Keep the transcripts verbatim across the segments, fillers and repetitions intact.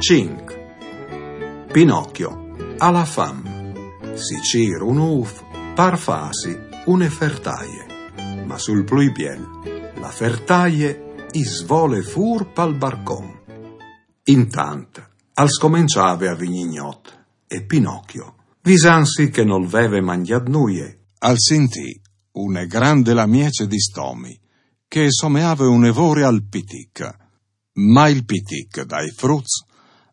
Cinc. Pinocchio à la fam. Si cîr un ûf par fâsi une fertaie. Ma sul plui biel, la fertaie i svole fûr pal barcon. Intant al scomençave a vignî gnot e Pinocchio, visantsi che nol veve mangjât nuie, al sintì une grande lamiece di stomi che someave une vore al pitic. Ma il pitic dai fruts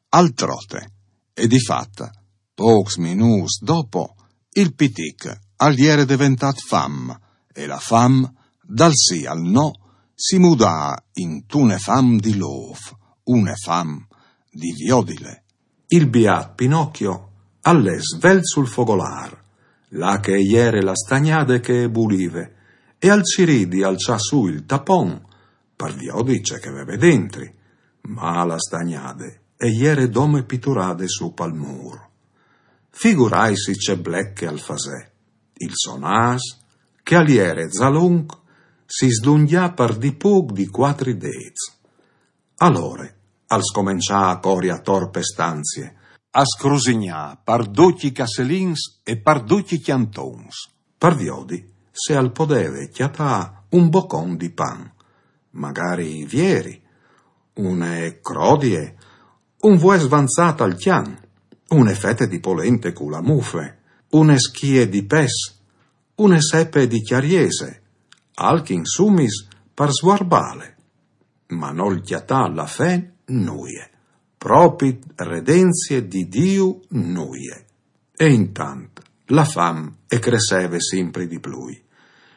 al trote, e di fat, pôcs minûts dopo, il pitic al jere deventât fam, e la fam, dal sì al no, si mudà intune fam di lôf, une fam di viodile. Il biât Pinocchio al lè svelt sul fogolâr, là che e jere la stagnade che e bulive, e al cirì di alçâ sù il tapon, par viodi ce che e veve dentri, ma la stagnade e jere dome piturade sù pal mûr. Figuraitsi ce blec che al fasè. Il so nâs, che al jere za lunc, si slungjà par di pôc di cuatri dêts. Alore al scomençà a cori ator pe stanzie, a scrusignâ par ducj i casselins e par ducj i cjantons, par viodi se al podeve cjatâ un bocon di pan, magari vieri, une crodie, un vues vanzât al cjan, une fete di polente cu la mufe, une schie di pes, une sepe di cjariese, alc insumis par svuarbâle. Ma nol cjatà la fen nuie, propit redenzie di Diu nuie. E intant la fam e cresseve simpri di plui.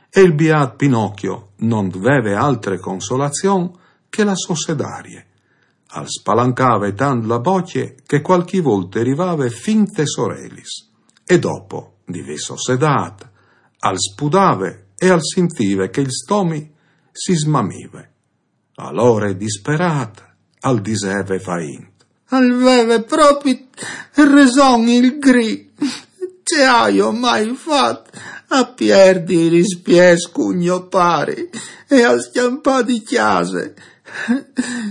E il biât Pinocchio no veve altre consolazion che la sô sedarie. Al spalancave tant la bocje che cualchi volte e rivave fin tes orelis. E dopo di vê sossedât, al spudave e al sintive che il stomi si smamive. Alore disperât al diseve vaint: «Al veve propit reson il gri. Ce aio mai fat a pierdi i rispiets cun gno pari e a scjampâ di cjase?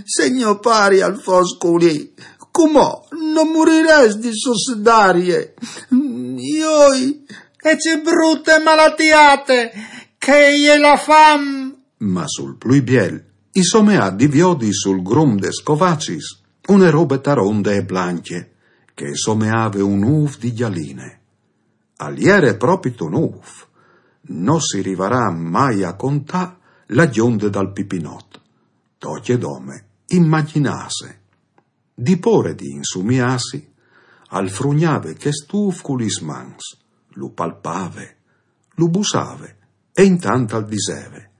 Se gno pari al fos culì, cumò no murirès di sossedarie. Joi, e ce brute malatiate che e je la fam!» Ma sul plui biel i someà di viodi sul grum des covacis une robe taronde e blancje, che e someave un ûf di gjaline. Al jere propit un ûf. No si rivarà mai a contâ la gjonde dal Pipinot. Tocje dome imagjinâse. Di pôre di insumiâsi, al frugnave chest ûf cu lis mans, lu palpave, lu bussave, e intant al diseve: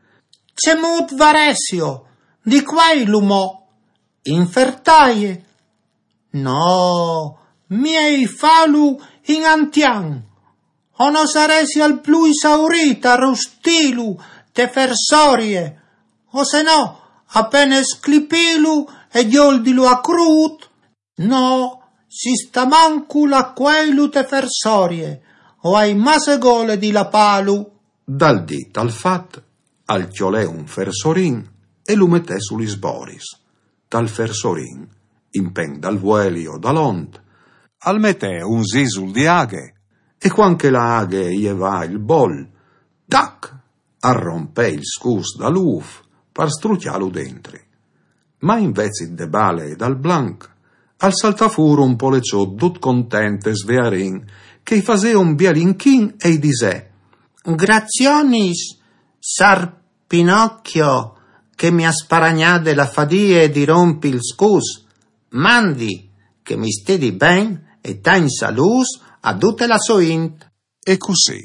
«Cemût varessio? Di cuei lu mo? In fertaie? No, miei fâlu in antian. O no saressi al plui saurît a rustîlu te fersorie, o se no, a pene sclipîlu e gjoldilu a crût? No, sistamancul a cueilu te fersorie, o ai masse gole di lapâlu.» Dal dit al fat, al cjolè un fersorin e lu metè su lis boris. Tal fersorin, impen dal vueli o dal ont, al metè un sisul di aghe, e cuant che la aghe e jevà il bol, tac, al rompè il scus dal ûf par strucjâlu dentri. Ma invezit de bale e dal blanc, al saltà fûr un poleçot dut content e svearin, che i fasè un biel inchin e i disè: «Grazionis, sâr Pinocchio, che mi à sparagnade la fadie di rompi il scus. Mandi, che mi stedi ben e tancj salûts a dute la sô int.» E cussì,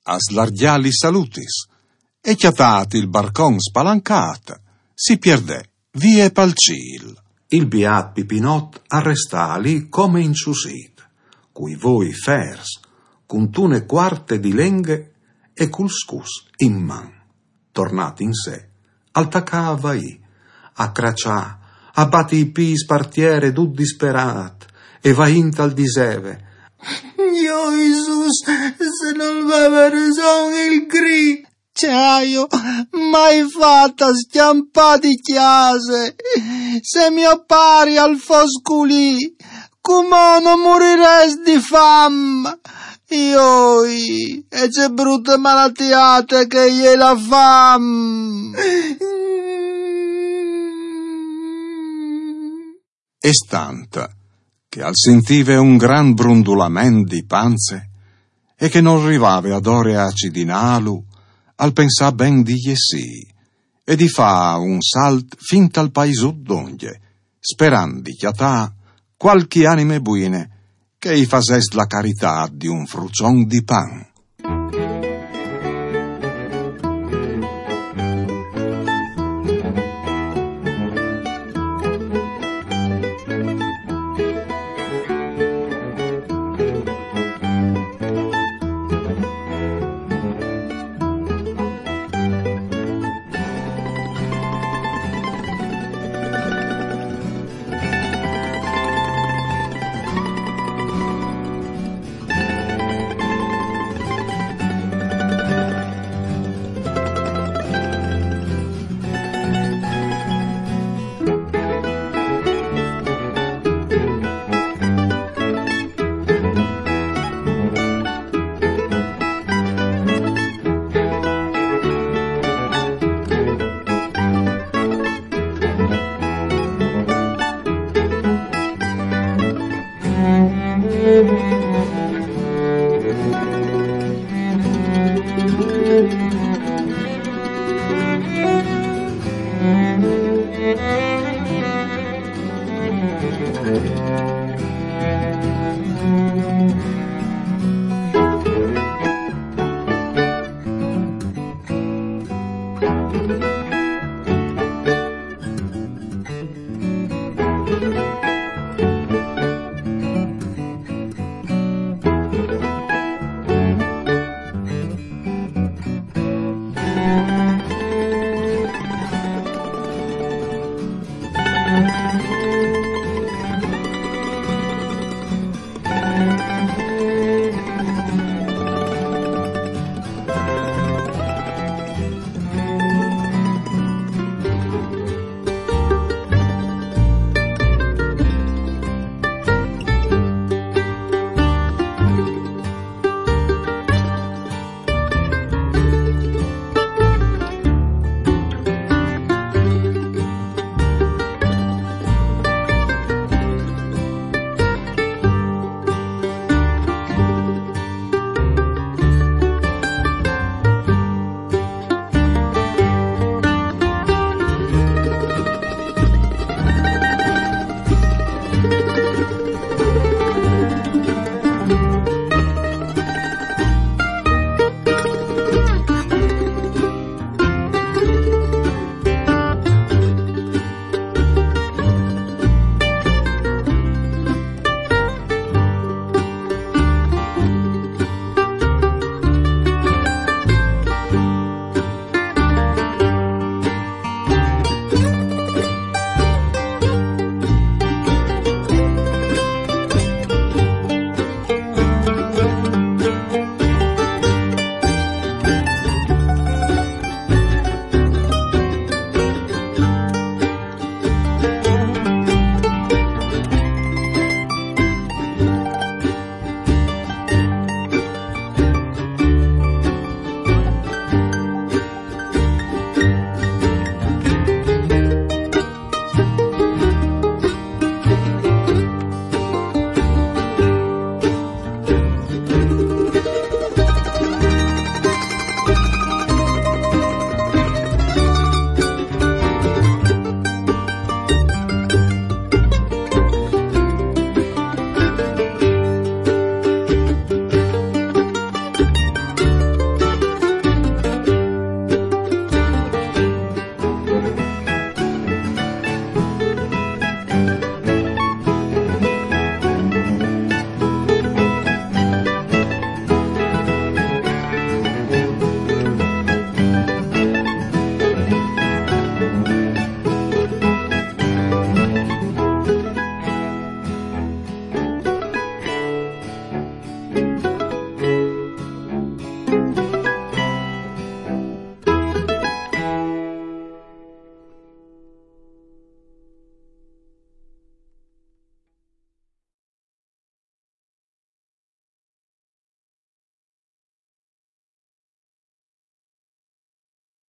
a slargjâ lis salutis, e cjatât il barcon spalancât, si pierdè vie pal cîl. Il biât Pipinot al restà li come inçusît, cui voi fers, cuntune cuarte di lenghe e cul scus in man. Tornât in se, al tacà a vaî, a craçâ, a bati i pîts par tiere dut disperât, e vaint al diseve: «Joi, Jesùs, se nol veve reson il gri!» ce aio mai fat a scjampà di cjase? Se mio pari al fos culì, cumò no murirès di fam. Ioi, e ce brute malatiate che e je la fam! E stant che al sintive un gran brundulament di panze e che nol rivave adore a acidinâlu, al pensà ben di jessî e di fâ un salt fin tal paisut dongje, sperant di cjatâ cualchi anime buine che i fasès la caritât di un fruçon di pan.